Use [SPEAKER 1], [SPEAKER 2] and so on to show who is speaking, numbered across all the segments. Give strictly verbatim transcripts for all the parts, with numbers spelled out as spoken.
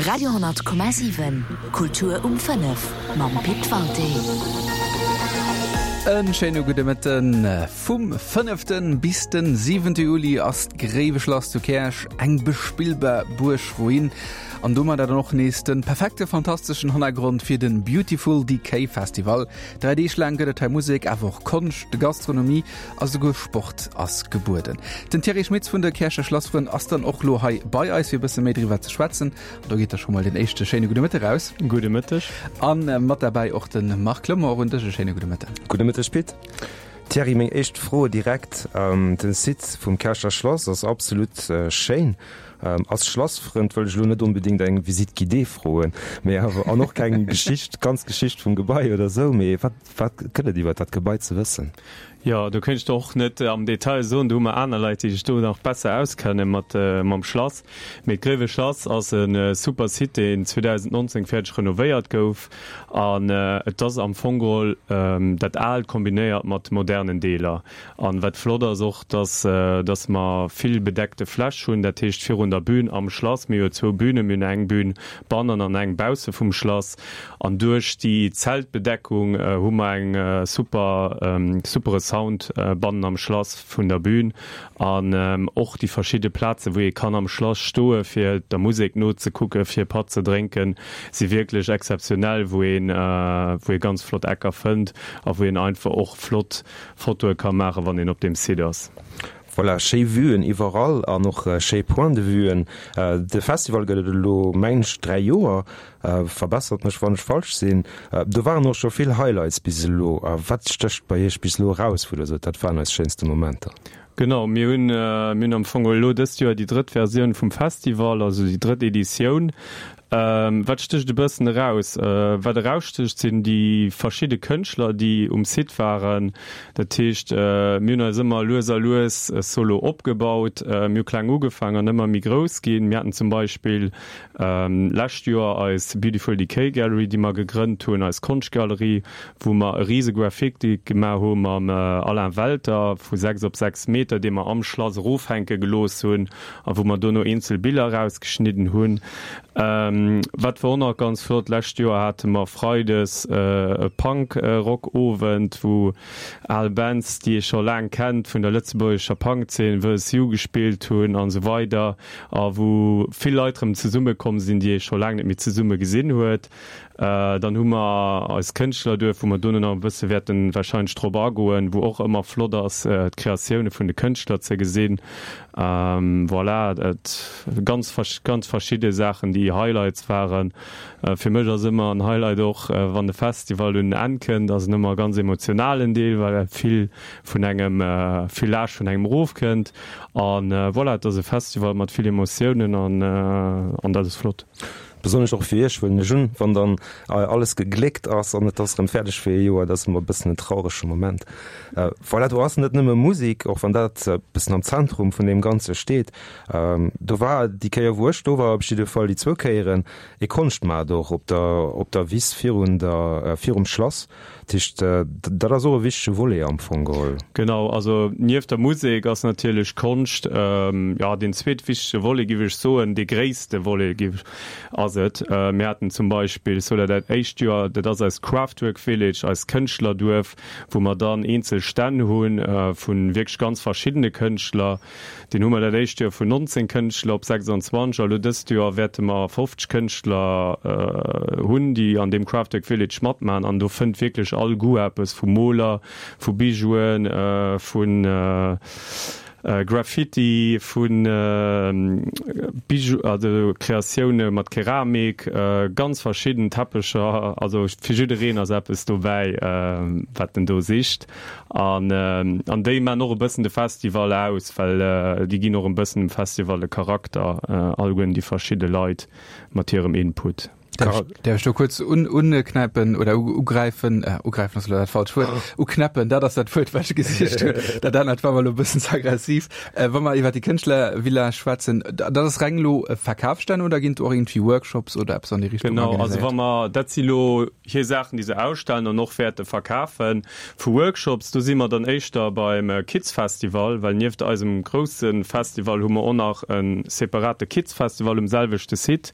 [SPEAKER 1] Radio honnert Komma siwen, Kultur um fënnef mam Pit Walté.
[SPEAKER 2] En schéine gudde Mëtten. Vum fënneften bis den siwente Juli ass d'Gréiweschlass zu Käerch eng bespillbar Buergruin. An domadder dann och nees de perfekte fantasteschen Hannergrond fir den Beautiful Decay Festival. Dräi Deeg laang gëtt et hei Musek, awer och Konscht, Gastronomie a souguer Sport ass gebueden. Den Thierry Schmitz vun de Käercher Schlassfrënn ass dann och lo hei bei eis fir e bësse méi driwwer ze schwätzen. An do geet da scho mol den éischte schéine gudde Mëtteg raus.
[SPEAKER 3] Gudde Mëtteg.
[SPEAKER 2] An mat derbäi och de Marc Clement. Och un dech e schéine gudde Mëtten.
[SPEAKER 4] Gudde Mëtteg Pit. Thierry, meng éischt Fro direkt, Den Site vum Käercher Schlass ass absolut schéin. Als Schlassfrënd wëll ech elo net onbedéngt eng Visite guidée froen, mee awer, an och keng Geschicht, ganz Geschicht vum Gebai oder esou, mee wat, wat gëtt et iwwer dat Gebai ze wëssen?
[SPEAKER 3] Jo, do kéint ech der och net am Detail soen, do hu mer aner Leit, déi sech do nach besser auskenne mat mam Schlass. Mee d'Gréiwe Schlass ass e super Site, deen zweedausendnonzéng fäerdeg renovéiert gouf an et ass am Fong geholl dat Aalt kombinéiert mat modernen Deeler. An wat flott ass och, dass dass mer vill bedeckte Fläch hunn, dat heescht virun der Bühn am Schlass, mir hu jo zwou Bühnen, mir hunn eng Bühn bannen an eng bausse vum Schlass an duerch déi Zeltbedeckung hu mer eng super supere Sound bannen am Schlass vun der Bühn an och déi verschidde Plazen, wou ee kann am Schlass stoe fir der Musek nozekucken, fir e Patt ze drénken, si wierklech exzeptionell, wou een wou ee ganz flott Ecker fënnt a wou een einfach och flott Fotoe ka maachen, wann een op deem Site ass.
[SPEAKER 4] Voilà, schéi Vuen iwwerall an och schéi Point de vuen. De Festival gëtt et elo, mengen ech, dräi Joer. Verbessert mech, wann ech falsch sinn. Do waren och scho vill Highlights bis elo. Wat stécht bei Iech bis elo eraus, wou Der sot, dat waren eis schéinste Momenter?
[SPEAKER 3] Genau, mir hunn, mir hunn am Fong elo dëst Joer déi drëtt Versioun vum Festival, also déi drëtt Editioun. Wat stécht e bëssen eraus? Wat erausstécht, sinn déi verschidde Kënschtler, déi um Site waren. Dat heescht, mir hunn eis ëmmer lues a lues Solo opgebaut. Mir hu kleng ugefaangen an ëmmer méi grouss ginn. Mir haten zum Beispill lescht Joer eis Beautiful Decay Gallery, déi mer gegrënnt hunn, eis Konschtgalerie, wou mer e rise Graffiti gemaach hu mam Alain Welter vu sechs op sechs Meter, dee mer am Schlass erofhänke gelooss hunn a wou mer dono eenzel Biller erausgeschnidden hunn. Wat war och nach ganz flott, lescht Joer hate mer freides e Punk-Rock-Owend, wou al Bands, déi ee scho laang kennt vun der lëtzebuergescher Punk-Zeen, Verse You gespillt hunn an esou weider a wou vill Leit erëm zesummekomm sinn, déi ee scho laang net méi zesumme gesinn huet. Dann hu mer eis Kënschtlerduerf, wou mer dono nach e bësse wäerte warscheinlech drop agoen, wou och ëmmer flott ass, d'Kreatioune vun de Kënschtler ze gesinn. Voilà, et ganz ganz verschidde Saachen, déi Highlights waren. Fir mech ass ëmmer en Highlight och, wann de Festival un en Enn kënnt, ass en ëmmer e ganz emotionalen Deel, well vill vun engem, vill Laascht vun engem erofkënnt. An voilà, et ass e Festival mat vill Emotiounen an an dat ass flott.
[SPEAKER 4] Besonnesch och fir Iech, huelen ech un, wann dann alles gegléckt ass an et ass erëm fäerdeg fir ee Joer, dat ass ëmmer e bëssen en traurege Moment. Voilà, do ass net nëmme Musek, och wann dat e bëssen am Zentrum vun deem Ganze steet. Do war déi Kéier, wou ech do war, op jidde Fall déi zwou Kéieren, ee Konschtmaart och op der, op der Wiss virun der, virum Schlass. Dat heescht, dat ass och e wichtege Volet am Fong geholl.
[SPEAKER 3] Genau, also nieft der Musek ass natierlech Konscht, jo, deen zweetwichtegste Volet, géif ech soen, dee gréisste Volet, géif ech, ass et. Mir haten zum Beispill Soler dat éischt Joer, dat ass eist Craftwork Village, eist Kënschtlerduerf, wou mer dann eenzel Stänn hu vu wierklech ganz verschiddene Kënschtler. Deen hu mer dat éischt Joer vun nonzéng Kënschtler op sechsundzwanzeg a lo dëst Joer wäerte mer fofzeg Kënschtler hunn, déi an deem Craftwork Village matmachen an do fënnt wierklech all Goût eppes, vu Moler, vu Bijouen, vu Graffiti, vu Bijou, also Kreatioune mat Keramik, ganz verschidden Teppecher, also fir jiddereen ass eppes dobäi, wat en do sicht. An an déi man och e bëssen de Festival aus, well déi ginn och e bëssen dem Festival e Charakter, alleguerten déi verschidde Leit mat hirem Input.
[SPEAKER 2] Däerf ech do kuerz unknäipen oder ugräifen? Ugräifen ass elo dat falscht Wuert. Uknäppen, dat ass dat Wuert, wat ech gesicht hunn. Dat anert war mer elo e bëssen ze aggressiv. Wa mer iwwer déi Kënschtlervilla schwätzen, dat ass reng elo Verkafsstänn oder ginn do och iergendwéi Workshops oder eppes an déi Richtung
[SPEAKER 3] organiséiert? Genau, also wa mer, dat si lo hir Saachen, déi se ausstellen an och wäerte verkafen. Vu Workshops, do si mer dann éischter beim Kids Festival, well nieft eisem grousse Festival hu mer och nach e separate Kids Festival um selwechte Site.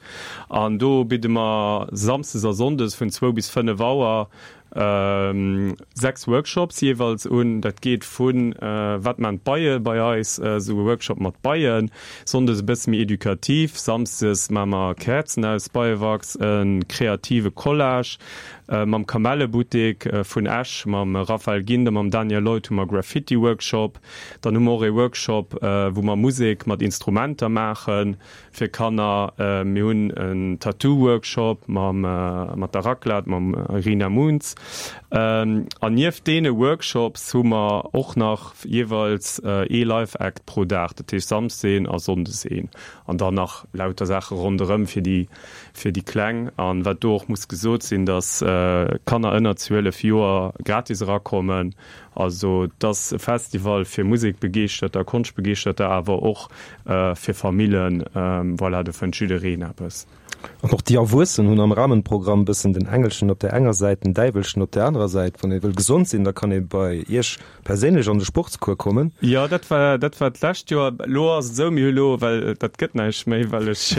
[SPEAKER 3] An do bidde mer samsdes a sonndes vun zwou bis fënnef Auer sechs Workshops jeeweils un. Dat geet vu Wat man d'Beie bei eis, esou e Workshop mat Beien, sonndes e bësse méi edukativ, samsdes maache mer Käerzen aus Beiewachs, e kreative Collage mam Kamellebuttek vun Esch, mam Raphaël Gindt a mam Daniel Leuth hu mer Graffiti-Workshop. Dann hu mer och ee Workshop, wou mer Musek mat Instrumenter maachen. Fir Kanner, mir hunn en Tattoo-Workshop mam mat der Raclette, mam Irina Moons. An nieft deene Workshops hu mer och nach jeeweils ee Live-Act pro Dag, dat heescht Samsdes een a Sonndes een. An dann nach lauter Saache ronderëm fir déi fir déi Kleng. An wat do och muss gesot sinn, datt Kanner ënner zwielef Joer gratis erakommen. Also et ass e Festival fir Musekbegeeschterter, Konschtbegeeschterter, awer och fir Famillen. Voilà, do fënnt jiddereen eppes.
[SPEAKER 4] An och déi Erwuessen hunn am Rahmenprogramm bëssen den Engelchen op där enger Säit, den Däiwelchen op där anerer Säit. Wann ee wëll gesond sinn, da kann ee bei Iech perséinlech an de Sportscours kommen.
[SPEAKER 3] Jo, dat war, dat war d'lescht Joer. Elo ass et esou, mir hu elo, well dat gëtt näischt méi, well ech,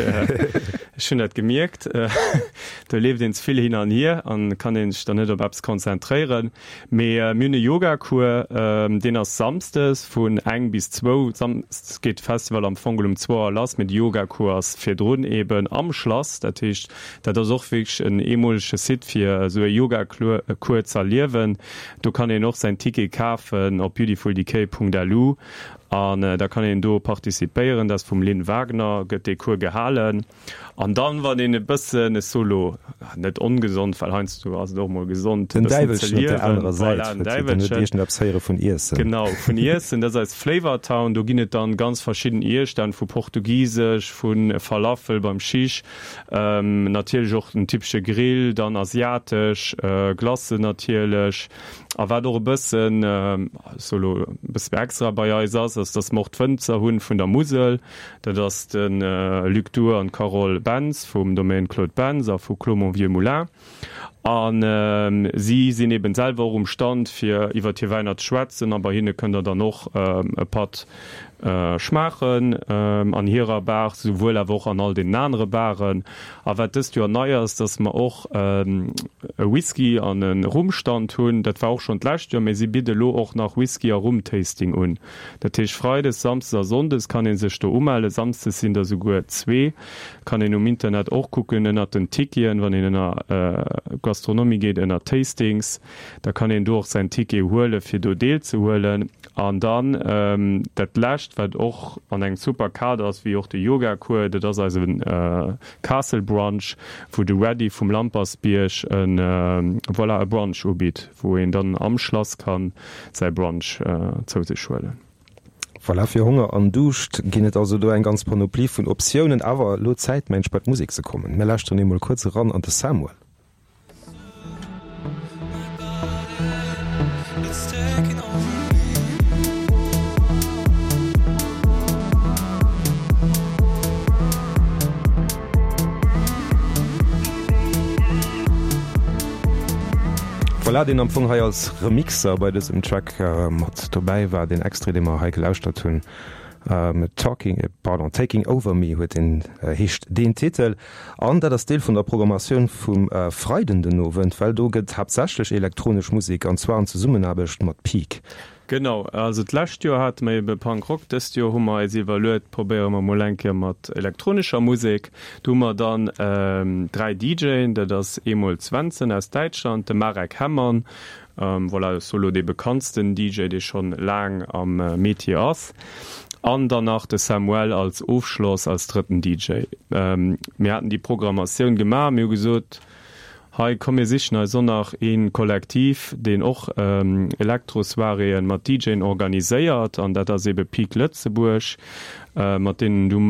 [SPEAKER 3] ech hunn dat gemierkt, do leeft een ze vill hin an hier an kann ee sech dann net op eppes konzentréieren. Mee mir hunn e Yoga-Cours, deen ass samsdes vun eng bis zwou. Samsdes geet de Festival am Fong um zwou Auer lass, mee de Yoga-Cours ass virdrun eben am Schlass. Dat heescht, dat ass och wierklech en eemolege Site fir esou e Yoga-Cours z'erliewen. Do kann een och säin Ticket kafen op beautifuldecay.lu an da kann een do participéieren. Dat ass vum Lynn Wagner, gëtt dee Cours gehalen. An dann, wann een e bëssen, ech soe lo net ongesond, well heiansdo ass et och mol gesond, e
[SPEAKER 4] Den
[SPEAKER 3] bëssen ze
[SPEAKER 4] Däiwelchen op der
[SPEAKER 3] liewen,
[SPEAKER 4] anerer Säit,
[SPEAKER 3] voilà, den
[SPEAKER 4] huet huet
[SPEAKER 3] Däiwelchen.
[SPEAKER 4] iergendeppes héiere vun Iessen.
[SPEAKER 3] Genau, vun Iessen, dat ass eis Flavor Town. Do ginn et dann ganz verschidden Iesstänn, vu portugisesch, vu Falafel beim Shish, natierlech och den typesche Grill, dann asiatesch, Glacen natierlech. A wat och e bëssen, ech soe lo e bësse méi extra bei eis ass, ass, dass mer och d'Wënzer hunn vun der Musel. Dat ass de Luc Duhr an d'Carole Bentz vum Domaine Claude Bentz a vu Clos Mon Vieux Moulin. A si sinn eben selwer och um Stand, fir iwwert hir Wäiner ze schwätzen. A bei hinne kënnt der dann och e Patt schmaachen an hirer Bar, souwuel awer och an all deenen anere Baren. A wat dëst Joer nei ass, dass mer och e Whisky an e Rum-Stand hunn. Dat war och schonn d'lescht Joer, mee si bidde lo och nach Whisky a Rum-Tasting un. Dat heescht, freides, samsdes a sonndes kann ee sech do umellen. Samsdes sinn der souguer zwee. Kann een um Internet och kucken ënnert den Ticketen, wann een ënner Gastronomie geet, ënner Tastings. Da kann een do och säin Ticket huelen, fir do deelzehuelen. An dann dat Lescht, wat och an engem super Kader ass, wéi och de Yoga-Cours, dat ass eise Castle Brunch, wou de Ready vum Lampersbierg e, voilà, e Brunch ubitt, wou een dann am Schlass ka säi Brunch zou sech huelen.
[SPEAKER 4] Voilà, fir Honger an Duuscht ginn et also do eng ganz Panoplie vun Optiounen. Awer elo Zäit, mensch, bei d'Musek ze kommen. Mir lauschteren eemol kuerz eran an de Samuel. Voilà, deen am Fong hei als Remixer bei dësem Track mat dobäi war, deen Extrait, dee mer hei gelauschtert hunn, Talking, pardon, Taking Over Me huet deen, heescht deen Titel. An dat ass Deel vun der Programmatioun vum Freiden den Owend, well do gëtt haaptsächlech elektronesch Musek, an zwar an Zesummenaarbecht mat Peak.
[SPEAKER 3] Genau, also d'lescht Joer hate mer ebe Punk Rock, dëst Joer hu mer eis iwwerluet, probéiere mer mol eng Kéier mat elektronescher Musek. Do hu mer dann dräi DJen, dat ass eemol d'Svenson aus Däitschland, de Marek Hemmann, voilà, dat ass elo dee bekanntsten DJ, dee schonn laang am Metier ass, an dann nach de Samuel als Ofschloss, als drëtten DJ. Mir haten déi Programmatioun gemaach, mir hu gesot, Hei, komm mir sichen eis och nach ee Kollektiv, deen och Elektro-Soiréeën mat DJen organiséiert, an dat ass ebe Peak Lëtzebuerg, mat deenen du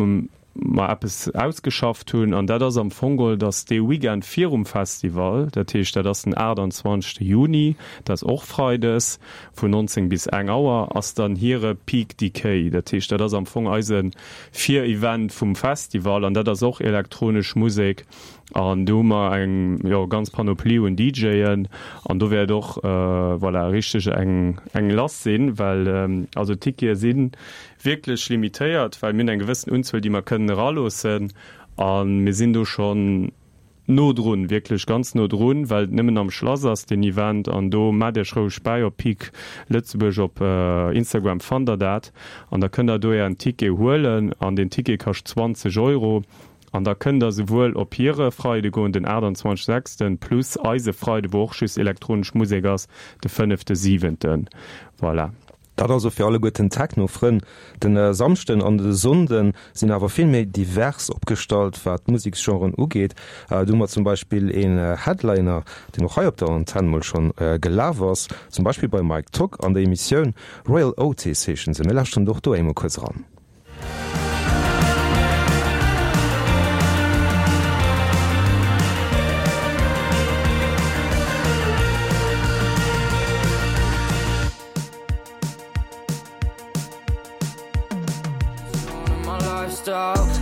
[SPEAKER 3] mer eppes ausgeschafft hunn, an dat ass am Fong geholl, dass dee Weekend virum Festival, dat heescht dat ass den aachtanzwanzegste Juni, dat ass och freides vun neunzéng bis eng Auer, ass dann hire Peak Decay. Dat heescht, dat ass am Fong eise Virevent vum Festival an dat ass och elektronesch Musek an do hu mer eng, jo, ganz Panoplie un DJen an do wäert och, voilà, richteg eng, eng lass sinn, well also d'Tickete si wierklech limitéiert, well mir hunn eng gewëssen Unzuel, déi mer kënnen eraloossen a mir sinn do schonn no drun, wierklech ganz no drun, well et nëmmen am Schlass ass, deen Event. An do maacht Iech roueg bäi op Peak Lëtzebuerg op Instagram fannt der dat an da kënnt der do Ären Ticket huelen an deen Ticket kascht zwanzeg Euro an da kënnt der souwuel op hire Freide goen, den aachtanzwanzeg sechsten, plus eise Freide, wou och just elektronesch Musek ass, de fënnefte siwenten. Voilà.
[SPEAKER 4] Dat also fir alleguerten Techno-Frënn. Den Samschden an de Sonnde sinn awer vill méi divers opgestallt, wat d'Museksgenren ugeet. Do hu mer zum Beispill een Headliner, deen och hei op der Antenn mol schonn gelaf ass, zum Beispill beim Mike Tock an der Emissioun. Royal Otis heeschen se. Mir lauschteren och do eemol kuerz eran.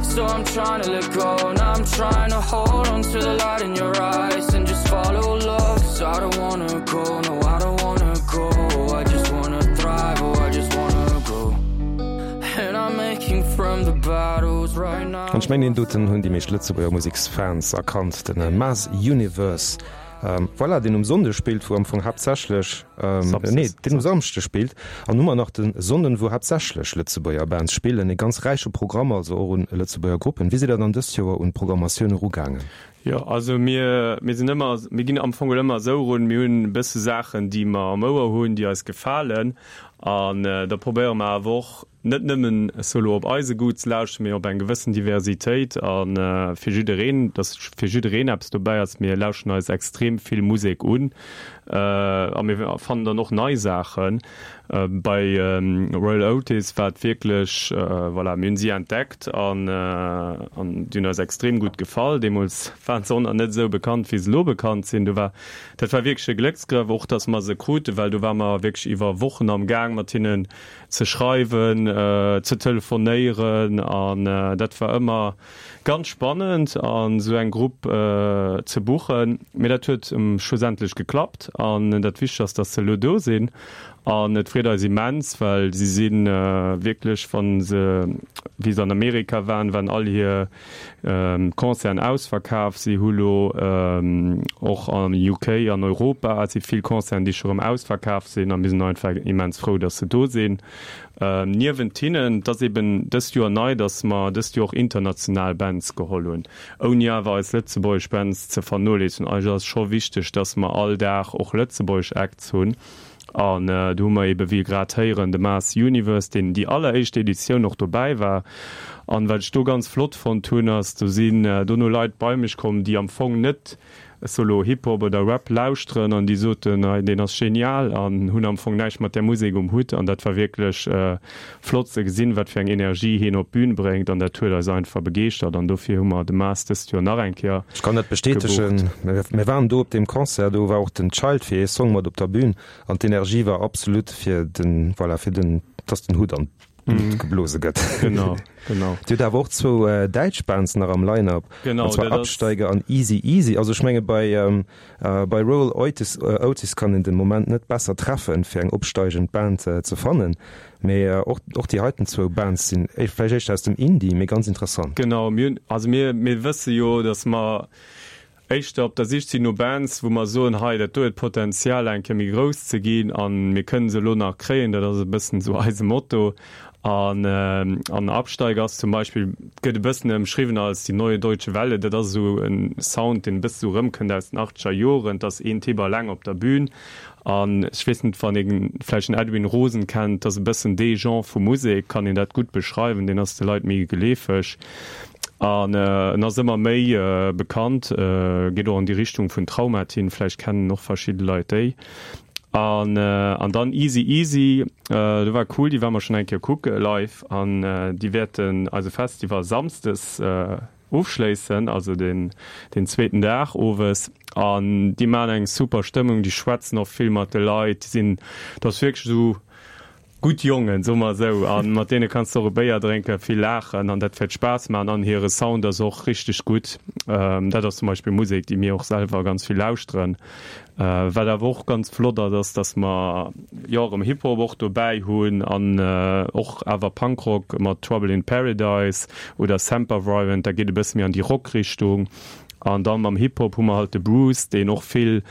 [SPEAKER 5] So I'm trying to let go and I'm trying to hold on to the light in your eyes and just follow love. Cause I don't wanna go, no I don't wanna go. I just wanna thrive, oh I just wanna grow. And I'm making from the battles right now.
[SPEAKER 4] An ech mengen deen doten hunn déi meescht Lëtzebuerger Museksfans erkannt, den Maz Universe. Voilà, deen um Sonnde spillt, wou am Fong haaptsächlech, nee, deen um Samschde spillt. An hu mer nach de Sonnden, wou haaptsächlech Lëtzebuerger Bands spillen. E ganz räiche Programm also och un Lëtzebuerger Gruppen. Wéi sidd Der dann dëst Joer un d'Programmatioun erugaangen?
[SPEAKER 3] Jo, also mir, mir sinn ëmmer, mir ginn am Fong ëmmer esou erun, mir hunn e bësse Saachen, déi mer am Ouer hunn, déi eis gefalen. An da probéiere mer awer och, net nëmmen solo op eise Goût ze lauschteren, mee op eng gewëssen Diversitéit a fir jiddereen, dass fir jiddereen eppes dobäi ass. Mir lauschteren eis extrem vill Musek un a mir fannen dann och nei Saachen. Bei Royal Otis war et wierklech, voilà, mir hunn si entdeckt an an déi hunn eis extrem gutt gefall. Deemools waren se och nach net esou bekannt, wéi se elo bekannt sinn. Do war, dat war wierklech e Glécksgrëff och, dass mer se kruten, well do ware mer wierklech iwwer Wochen am Gaang mat hinnen ze schreiwen, ze telefonéieren an dat war ëmmer ganz spannend an esou eng Grupp ze buchen. Mee dat huet schlussendlech geklappt an dat Wichtegst ass, dass se elo do sinn an et freet eis immens, well si si wierklech, wa se, wéi se an Amerika waren, waren all hir Concerten ausverkaf. Si hu lo och am U K an Europa si vill Concerten, déi scho rëm ausverkaf sinn a mir sinn einfach immens frou, dass se do sinn. Niewent hinnen, et ass eben dëst Joer nei, dass mer dëst Joer och international Bands geholl hunn, ouni awer eis lëtzebuergesch Bands ze vernoléissegen. Eis ass scho wichteg, dass mer all Dag och lëtzebuergesch Acts hunn. An do hu mer ebe wéi grad héieren de Mars Universe, deen déi alleréischt Editioun och dobäi war. An wat ech do ganz flott fonnt hunn, ass, do sinn dono Leit bei mech komm, déi am Fong net solo Hip-Hop oder Rap lauschteren an déi soten, hei deen ass genial an hunn am Fong näischt mat där Musek um Hutt. An dat war wierklech flott ze gesinn, wat fir eng Energie hien op d'Bün bréngt an dat huet eis einfach begeeschtert an dofir hu mer de Mars dëst Joer nach eng Kéier
[SPEAKER 4] Ech kann dat bestätegen.
[SPEAKER 3] gebucht.
[SPEAKER 4] Mir waren do op deem Concert, do war och den Child fir ee Song mat op der Bühn an d'Energie war absolut fir den, voilà, fir den, dass den Hutt an d'Luucht geblose gëtt.
[SPEAKER 3] Genau, genau.
[SPEAKER 4] Dir hutt awer och zwou däitsch Bands nach am Line-Up,
[SPEAKER 3] Genau,
[SPEAKER 4] an zwar
[SPEAKER 3] dat ass.
[SPEAKER 4] Absteiger an Easy Easy. Also ech menge bei, bei Royal Otis, Otis kann een den Moment net besser treffen, fir eng opsteigend Band ze fannen. Mee och, och déi heiten zwou Bands sinn vläicht éischter aus dem Indie, mee ganz interessant.
[SPEAKER 3] Genau, mir hunn, also mir, mir wësse jo, datt mer éischter op der Sich sinn no Bands, wou mer soen, hei, dat do huet Potenzial eng Kéier méi grouss ze ginn a mir kënnen se elo nach kréien. Dat ass e bëssen esou eise Motto. An, an Absteiger ass zum Beispill, gëtt e bëssen ëmschriwwen als die neue deutsche Welle. Dat ass esou e Sound, deen e bësse sou erëmkënnt aus den achtzeger Joren. Et ass een Typ alleng op der Bühn. An ech weess net, wann ee vläicht den Edwin Rosen kennt, dat ass e bëssen dee Genre vu Musek, kann een dat gutt beschreiwen, deen ass de Leit méi geleefeg an en ass ëmmer méi bekannt, geet och an déi Richtung vun Traumatin, vläicht kennen och verschidde Leit déi. An an dann Easy Easy, do war cool, déi ware mer schonn eng Kéier kucke live an déi wäerten eise Festival samsdes ofschléissen, also den den zweeten Dag owes. An déi maachen eng super Stëmmung, déi schwätzen och vill mat de Leit, déi sinn, dat ass wierklech esou gutt Jongen, soe mer esou, a mat deene kanns de och e Béier drénken, vill laachen an dat wäert Spaass maachen an hire Sound ass och richteg gutt. Dat ass zum Beispill Musek, déi mir och selwer ganz vill lauschteren. Wat awer och ganz flott ass, ass, datt mer jo erëm Hip-Hop och dobäi hunn an och awer Punkrock mat Trouble in Paradise oder Sempervirent, dat geet e bësse méi an déi Rock-Richtung. An dann mam Hip-Hop hu mer halt de Bruce, deen och vill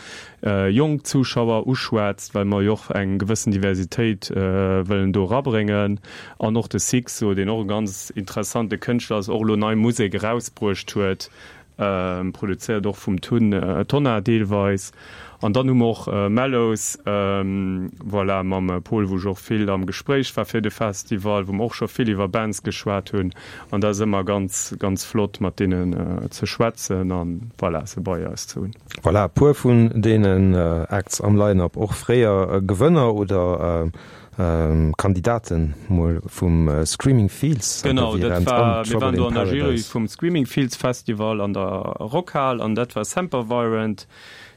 [SPEAKER 3] jonk Zuschauer uschwätzt, well mer jo och eng gewëssen Diversitéit wëllen do erabréngen. An och de Sixo, deen och e ganz interessante Kënschtler ass, och elo nei Musek erausbruecht huet, produzéiert och vum Tun Tonnar deelweis. An dann hu mer och Mellows, voilà, mam Pol, wou ech och vill am Gespréich war fir de Festival, wou mer och scho vill iwwer Bands geschwat hunn. An dat ass ëmmer ganz, ganz flott, mat deenen ze schwätzen an, voilà, se bei eis ze hunn.
[SPEAKER 4] Voilà, e puer vun deenen Acts am Line-Up, och fréier Gewënner oder Kandidaten mol vum Screaming Fields.
[SPEAKER 3] Genau, dat war, mir waren do an der Jury vum Screaming Fields Festival an der Rockhal an dat war Sempervirent.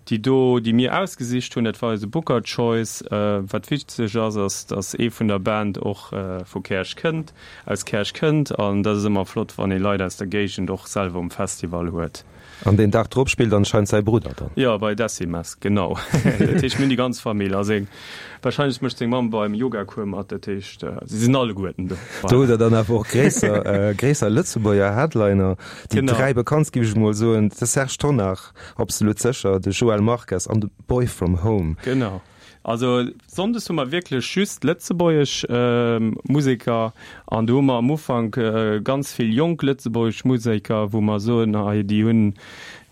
[SPEAKER 3] Déi do, déi mir ausgesicht hunn, dat war eise Booker Choice. Wat witzeg ass, ass, dass ee vun der Band och vu Käerch kënnt, aus Käerch kënnt. An dat ass ëmmer flott, wann ee Leit aus der Géigend och selwer um Festival huet.
[SPEAKER 4] An deen Dag drop spillt anscheinend säi Brudder dann?
[SPEAKER 3] Jo, bei Decimas, genau. Dat heescht, mir hunn déi ganz Famill. A seng, warscheinlech mécht seng Mamm beim Yogacours mat. Dat heescht, si sinn alleguerten do.
[SPEAKER 4] Do hutt Der dann awer och gréisser, gréisser Lëtzebuerger Headliner. Déi dräi bekanntst, géif ech emol soen, de Serge Tonnar, Absolut sécher, de Joël Marques an de Boy from Home.
[SPEAKER 3] Genau. Also sonndes hu mer wierklech just lëtzebuergesch Museker an do hu mer am Ufank ganz vill jonk lëtzebuergesch Museker, wou mer soen, hei déi hunn,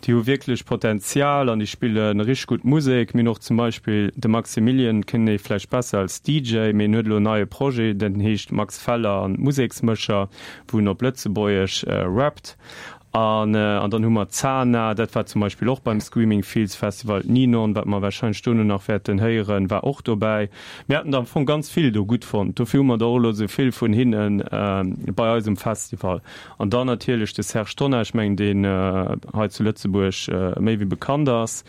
[SPEAKER 3] déi hu wierklech Potenzial an déi spille richteg gutt Musek. Mir hunn och zum Beispill de Maximilian, kennt ee vläicht besser als D J, mee en huet elo en neie Projet, den heescht Max Feller an d'Museksmëscher, wou en op Lëtzebuergesch rappt. An an dann hu mer d'Zana, dat war zum Beispill och beim Screaming Fields Festival, d'Ninon, wat mer warscheinlech dono nach wäerten héieren, war och dobäi. Mir haten der am Fong ganz vill do gutt fonnt, dofir hu mer der och elo esou vill vun hinne bei eis um Festival. An dann natierlech de Serge Tonnar, ech mengen deen hei zu Lëtzebuerg méi wéi bekannt ass,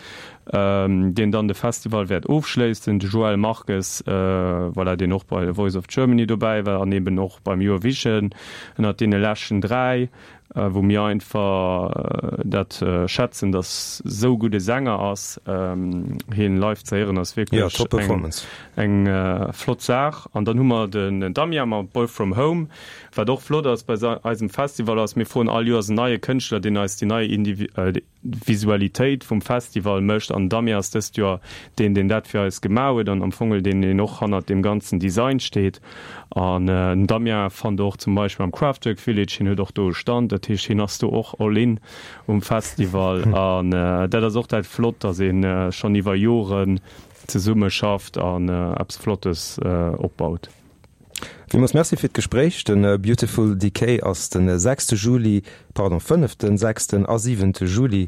[SPEAKER 3] deen dann de Festival wäert ofschléissen, de Joël Marques, voilà, deen och bei The Voice of Germany dobäi war an eben och beim Eurovision ënnert deene leschten dräi. wou mir einfach dat schätzen, dass esou gudde Sänger ass. Hien live ze héieren ass wierklech eng flott Saach. An dann hu mer den Damien mat Boy From Home. Wat och flott ass bei eisem Festival ass, mir froen all Joers en neie Kënschtler, deen eis déi nei Visualitéit vum Festival mécht. An den Damien ass dëst Joer deen, deen dat fir eis gemaach huet an am Fong deen, deen och hannert deem ganzen Design steet. An den Damien fannt der och zum Beispill am Craftwork Village, hien huet och do e Stand, dat heescht hien ass do och all in um Festival. An dat ass och dat Flott, datt ee schonn iwwer Joren zesumme schafft an eppes Flottes opbaut.
[SPEAKER 4] Villmools Merci fir d'Gespréich. De Beautiful Decay ass de sechste Juli, pardon, fënneften, sechsten a siwente Juli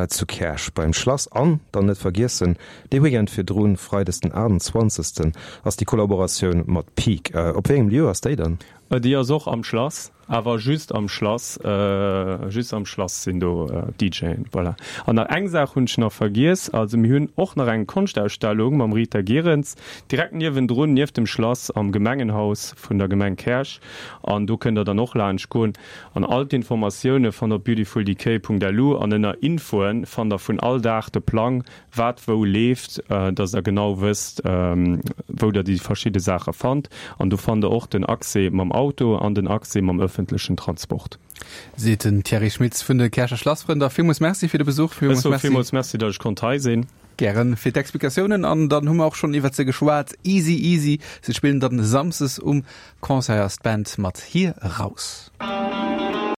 [SPEAKER 4] zu Käerch beim Schlass. An dann net vergiessen, dee Weekend virdrun, freides den aachtundzwanzegsten ass déi Kollaboratioun mat Peak. Op wéi engem Lieu ass déi dann?
[SPEAKER 3] Déi ass och am Schlass. Awer just am Schlass, just am Schlass sinn do D J'en, voilà. An nach eng Saach hunn ech nach vergiess, also mir hunn och nach eng Konschtausstellung mam Rita Gierens direkt niewendrun, nieft dem Schlass am Gemengenhaus vun der Gemeng Käerch an do kënnt der dann och laanscht goen. An all d'Informatioune fannt der op beautifuldecay Punkt L U an ënner Infoen fannt der vun all Dag de Plang, wat wou leeft, dass der genau wësst, wou der déi verschidde Saache fannt. An do fannt der och den Accès mam Auto an den Accès mam ëffentlechen Transport.
[SPEAKER 2] Seet den Thierry Schmitz vun de Käercher Schlassfrënn. Da villmools Merci fir de Besuch.
[SPEAKER 3] Villmools Merci. Villmools Merci, datt ech konnt hei sinn.
[SPEAKER 2] Gären fir d'Explikatiounen. An dann hu mer och schonn iwwert se geschwat. Easy Easy, se spillen dann samsdes um Concert, ass d'Band mat Hir Raus.